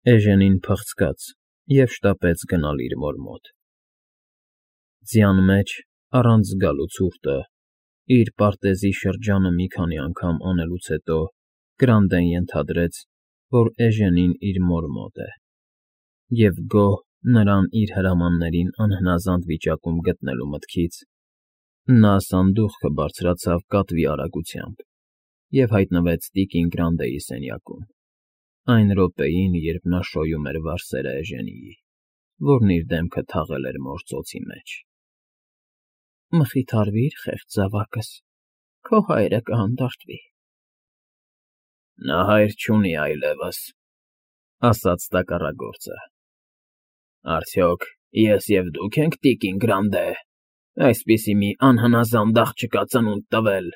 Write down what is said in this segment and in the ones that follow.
Էժենին փղցկաց և շտապեց գնալ իր մոր մոտ։ Ձյան մեջ, առանց զգալու ցուրտը, իր պարտեզի շրջանը մի քանի անգամ անելուց հետո Գրանդեն ենթադրեց, որ Էժենին իր մոր մոտ է, և գոհ նրան իր հրամաններին անհնազանդ վիճակում գտնելու մտքից, նա սանդուղքը բարձրացավ կատվի արագությամբ և հայտնվեց տիկին Գրանդեի սենյակում, այն րոպեին, երբ նա շոյում էր վարսերը Էժենիի, որն իր դեմքը թաղել էր մոր ծոցի մեջ։ ֊ Մխիթարվիր, խեղճ զավակս, քո հայրը կհանդարտվի։ ֊ Նա հայր չունի այլևս,֊ ասաց տակառագործը։ ֊ Արդյոք ես և դուք ենք տիկին Գրանդե այսպիսի մի անհնազանդ աղջկա ծնունդ տվել…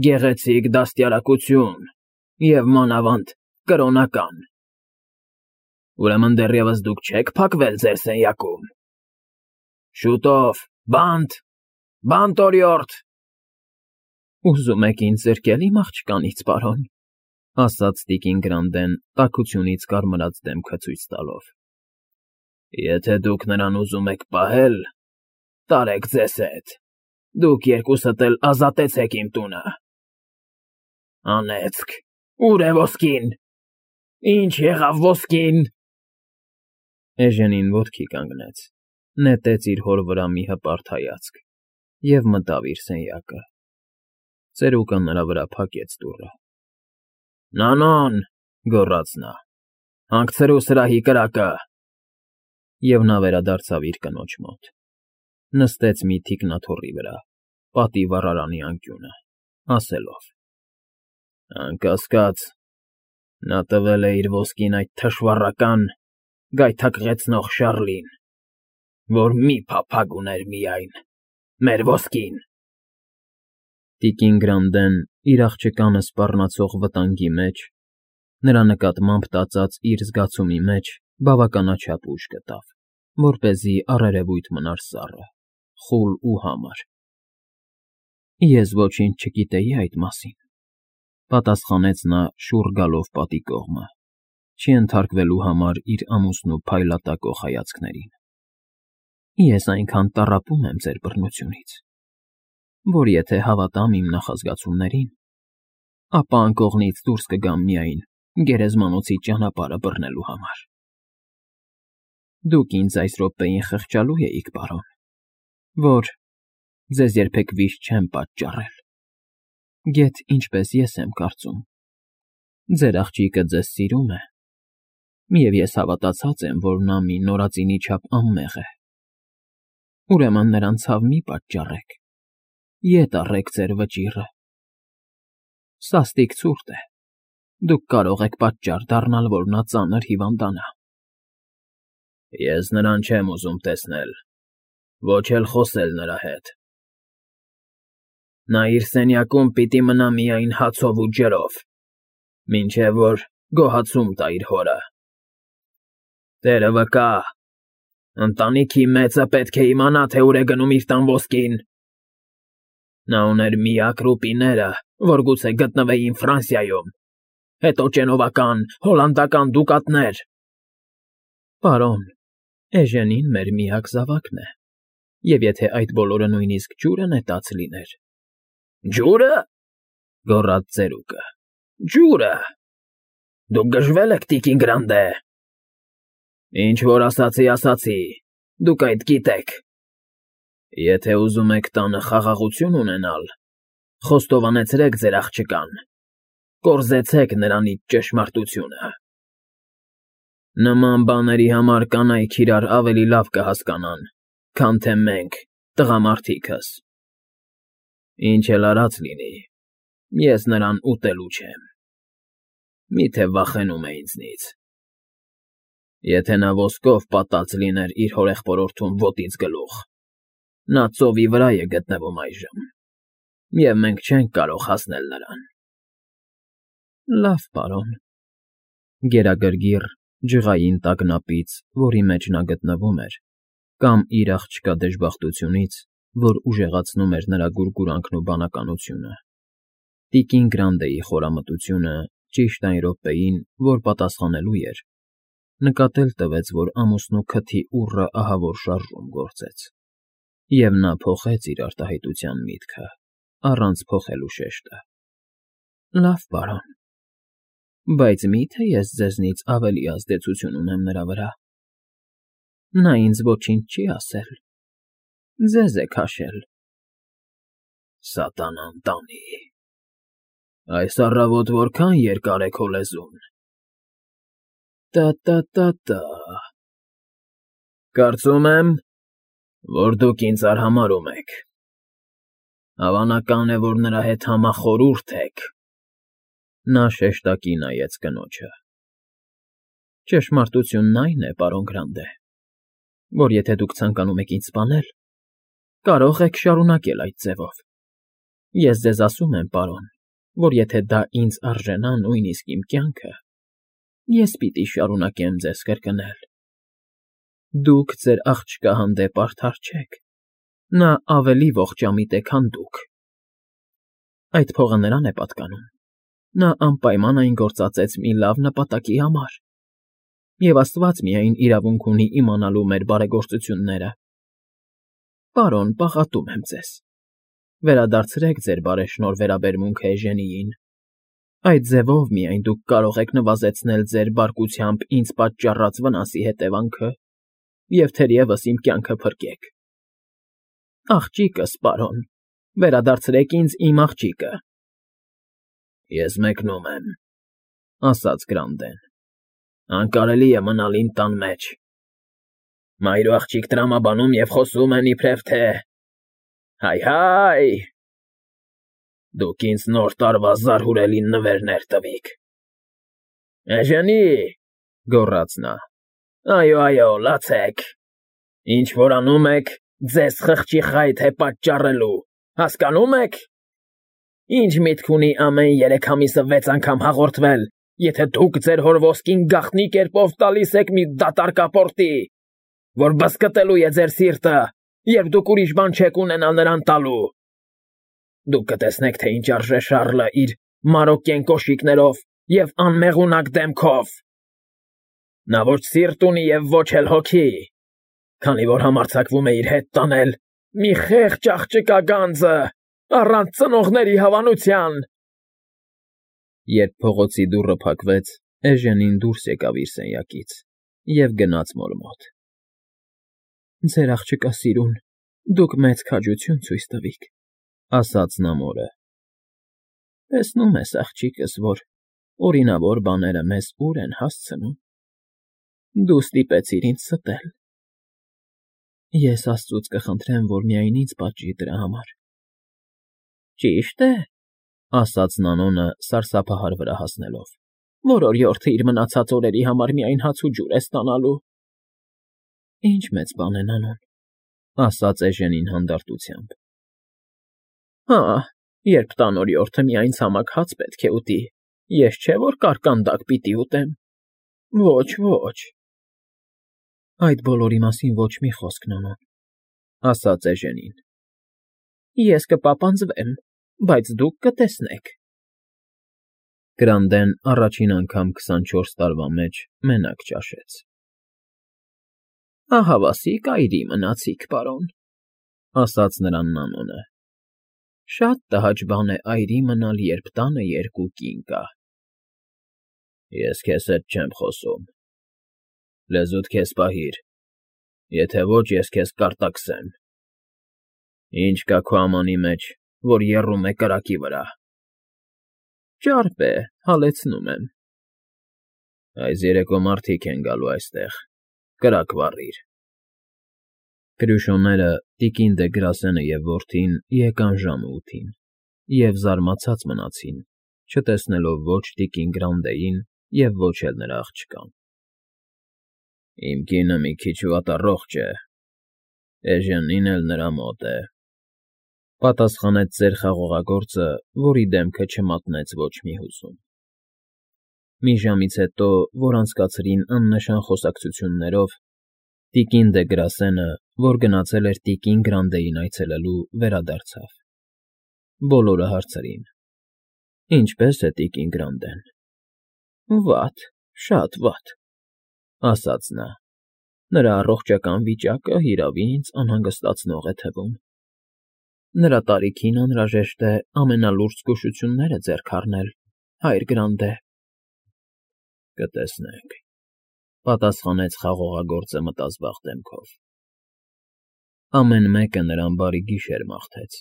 Գեղեցիկ դաստիարակություն և, մանավանդ, կրոնական… Ուրեմն դեռևս դուք չեք փակվել ձեր սենյակում… Շուտով, բանտ… Բանտ օրիորդ… ֊ Ուզում եք ինձ զրկել իմ աղջկանից, պարոն,֊ ասաց տիկին Գրանդեն տաքությունից կարմրած դեմքը ցույց տալով։ ֊ Եթե դուք նրան ուզում եք պահել, տարեք ձեզ հետ… Դուք երկուսդ էլ ազատեցեք իմ տունը… Անեծք… Ո՞ւր է ոսկին… Ինչ եղավ ոսկին… Էժենին ոտքի կանգնեց, նետեց իր հոր վրա մի հպարտ հայացք և մտավ իր սենյակը։ Ծերուկը նրա վրա փակեց դուռը։ ֊ Նանոն,֊ գոռաց նա,֊ հանգցրու սրահի կրակը… Եվ նա վերադարձավ իր կնոջ մոտ, նստեց մի թիկնաթոռի վրա, պատի վառարանի անկյունը, ասելով. Անկասկած, նա տվել է իր ոսկին այդ թշվառական, գայթակղեցնող Շառլին, որ մի փափագ ուներ միայն՝ մեր ոսկին… Տիկին Գրանդեն իր աղջկանը սպառնացող վտանգի մեջ, նրա նկատմամբ տածած իր զգացումի մեջ բավականաչափ ուժ գտավ, որպեսզի առերևույթ մնար սառը, խուլ ու համր։ ֊ Ես ոչինչ չգիտեի այդ մասին,֊ պատասխանեց նա շուռ գալով պատի կողմը, չենթարկվելու համար իր ամուսնու փայլատակող հայացքներին։ ֊ Ես այնքան տառապում եմ ձեր բռնությունից, որ եթե հավատամ իմ նախազգացումներին, ապա անկողնից դուրս կգամ միայն գերեզմանոցի ճանապարհը բռնելու համար… Դուք ինձ այս րոպեին խղճալու էիք, պարոն, որ ձեզ երբեք վիշտ չեմ պատճառել, գեթ ինչպես ես եմ կարծում, ձեր աղջիկը ձեզ սիրում է, և ես հավատացած եմ, որ նա մի նորածինի չափ անմեղ է… Ուրեմն նրան ցավ մի պատճառեք, ետ առեք ձեր վճիռը… Սաստիկ ցուրտ է, դուք կարող եք պատճառ դառնալ, որ նա ծանր հիվանդանա… ֊ Ես նրան չեմ ուզում տեսնել, ոչ էլ խոսել նրա հետ… Նա իր սենյակում պիտի մնա միայն հացով ու ջրով, մինչև որ գոհացում տա իր հորը… Տերը վկա, ընտանիքի մեծը պետք է իմանա, թե ուր է գնում իր տան ոսկին… Նա ուներ միակ ռուպիները, որ գուցե գտնվեին Ֆրանսիայում, հետո ճենովական, հոլանդական դուկատներ… ֊ Պարոն, Էժենին մեր միակ զավակն է, և եթե այդ բոլորը նույնիսկ ջուրը նետած լիներ… ֊ Ջուրը,֊ գոռաց ծերուկը,֊ ջուրը… Դուք գժվել եք, տիկին Գրանդե… Ինչ որ ասացի, ասացի, դուք այդ գիտեք… Եթե ուզում եք տանը խաղաղություն ունենալ, խոստովանեցրեք ձեր աղջկան, կորզեցեք նրանից ճշմարտությունը… Նման բաների համար կանայք իրար ավելի լավ կհասկանան, քան թե մենք, տղամարդիկս… Ինչ էլ արած լինի, ես նրան ուտելու չեմ… Մի՞թե վախենում է ինձնից… Եթե նա ոսկով պատած լիներ իր հորեղբորորդում ոտից գլուխ, նա ծովի վրա է գտնվում այժմ, և մենք չենք կարող հասնել նրան… ֊ Լավ, պարոն… Գերագրգիռ, ջղային տագնապից, որի մեջ նա գտնվում էր, կամ իր աղջկա դժբախտությունից, որ ուժեղացնում էր նրա գուրգուրանքն ու բանականությունը, տիկին Գրանդեի խորամտությունը Ճիշտ այն րոպեին, որ պատասխանելու էր, նկատել տվեց, որ ամուսնու քթի ուռը ահավոր շարժում գործեց, և նա փոխեց իր արտահայտության միտքը, առանց փոխելու շեշտը։ Լավ, պարոն, բայց մի՞թե ես ձեզնից ավելի ազդեցություն ունեմ նրա վրա։ Նա ինձ ոչինչ չի ասել, ձեզ է քաշել։ Սատանան տանի։ Այս առավոտ որքան երկար է քո լեզուն։ Տա։ Կարծում եմ, որ դուք ինձ արհամարհում եք։ Հավանական է, որ նրա հետ համախորհուրդ եք։ Նա շեշտակի նայեց կնոջը։ Ճշմարտությունն այն է, պարոն Գրանտե, որ եթե դուք ցանկանում եք ինձ սպանել, կարող եք շարունակել այդ ձևով։ Ես ձեզ ասում եմ, պարոն, որ եթե դա ինձ արժենա նույնիսկ իմ կյանքը, ես պիտի շարունակեմ ձեզ կրկնել. դուք ձեր աղջկա հանդեպ արդար չեք, նա ավելի ողջամիտ է, քան դուք։ Այդ փողը նրան է պատկանում, նա անպայման այն գործածեց մի լավ նպատակի համար, և Աստված միայն իրավունք ունի իմանալու մեր բարեգործությունները։ Պարոն, պաղատում եմ ձեզ, վերադարձրեք ձեր բարեշնորհ վերաբերմունքը Էժենիին, այդ ձևով միայն դուք կարող եք նվազեցնել ձեր բարկությամբ ինձ պատճառած վնասի հետևանքը և թերևս իմ կյանքը փրկեք։ Աղջիկս, պարոն, վերադարձրեք ինձ իմ աղջիկը։ Ես մեկնում եմ, ասաց Գրանտեն, անկարելի է մնալ իմ տան մեջ։ Մայր ու աղջիկ տրամաբանում և խոսում են իբրև թե… Հայ, դուք ինձ նոր տարվա զարհուրելի նվերներ տվիք։ Էժենի, գոռաց նա, այո, լացեք, ինչ որ անում եք, ձեզ խղճի խայթ է պատճառելու, հասկանո՞ւմ եք։ Ինչ միտք ունի ամեն 3 ամիսը 6 անգամ հաղորդվել, եթե դուք ձեր հոր ոսկին գաղտնի կերպով տալիս եք մի դատարկ ապորտի, որ բզկտելու է ձեր սիրտը, երբ դուք ուրիշ բան չեք ունենալ նրան տալու։ Դուք կտեսնեք, թե ինչ արժե Շառլը իր մարոկկեն կոշիկներով և անմեղունակ դեմքով։ Նա ոչ սիրտ ունի և ոչ էլ հոգի, քանի որ համարձակվում է իր հետ տանել մի խեղճ աղջկա գանձը, առանց ծնողների հավանության։ Երբ փողոցի դուռը փակվեց, Էժենին դուրս եկավ իր սենյակից և գնաց մոր մոտ։ Ձեր աղջկա սիրուն, դուք մեծ քաջություն ցույց տվիք, ասաց նա մորը։ Տեսնում ես, աղջիկս, որ օրինավոր բաները մեզ ուր են հասցնում։ Դու ստիպեցիր ինձ ստել։ Ես Աստծուց կխնդրեմ, որ միայն ինձ պատժի դրա համար։ Ճիշտ է, ասաց Նանոնը սարսափահար վրա հասնելով, որ օրիորդը իր մնացած օրերի համար միայն հաց ու ջուր է ստանալու։ Ինչ մեծ բան է, Նանոն, ասաց Էժենին հանդարտությամբ։ Հա, երբ տան օրիորդը միայն ցամաք հաց պետք է ուտի, ես չէ որ կարկանդակ պիտի ուտեմ։ Ոչ։ Այդ բոլորի մասին ոչ մի խոսք, Նանոն, ասաց Էժենին։ Ես կպապանձվեմ, բայց դուք կտեսնեք։ Գրանտեն առաջին անգամ 24 տարվա մեջ մենակ ճաշեց։ Ահավասիկ այրի մնացիք, պարոն, ասաց նրան Նանոնը։ Շատ տհաճ բան է այրի մնալ, երբ տանը 2 կին կա։ Ես քեզ հետ չեմ խոսում։ Լեզուդ քեզ պահիր, եթե ոչ, ես քեզ կարտաքսեմ։ Ինչ կա քո ամանի մեջ, որ եռում է կրակի վրա։ Ճարպ է, հալեցնում եմ։ Այս երեկո մարդիկ են գալու այստեղ, կրակ վառիր։ Կրյուշոները, տիկին դե Գրասենը և որդին եկան ժամը 8-ին և զարմացած մնացին, չտեսնելով ոչ տիկին Գրանտեին և ոչ էլ նրա աղջկան։ Իմ կինը մի քիչ վատառողջ է, Էժենին էլ նրա մոտ է, պատասխանեց ծեր խաղողագործը, որի դեմքը չմատնեց ոչ մի հուզում։ Մի ժամից հետո, որ անցկացրին աննշան խոսակցություններով, տիկին դե Գրասենը, որ գնացել էր տիկին Գրանտեին այցելելու, վերադարձավ։ Բոլորը հարցրին. Ինչպե՞ս է տիկին Գրանտեն։ Վատ, շատ վատ, ասաց նա։ Նրա առողջական վիճակը հիրավի ինձ անհանգստացնող է թվում։ Նրա տարիքին անհրաժեշտ է ամենալուրջ զգուշությունները ձեռք առնել, հայր Գրանդե։ Կտեսնենք,֊ պատասխանեց խաղողագործը մտազբաղ դեմքով։ Ամեն մեկը նրան բարի գիշեր մաղթեց,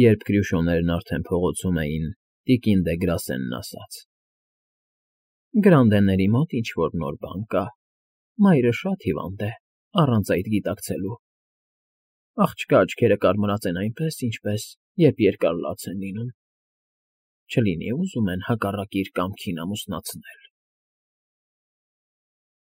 երբ Կրյուշոներն արդեն փողոցում էին տիկին դե Գրասենն ասաց. Գրանդեների մոտ ինչ֊որ նոր բան կա, մայրը շատ հիվանդ է, առանց այդ գիտակցելու։ Աղջկա աչքերը կարմրած են այնպես, ինչպես երբ երկար լաց են լինում, չլինի ուզում են հակառակ իր կամքին ամուսնացնել։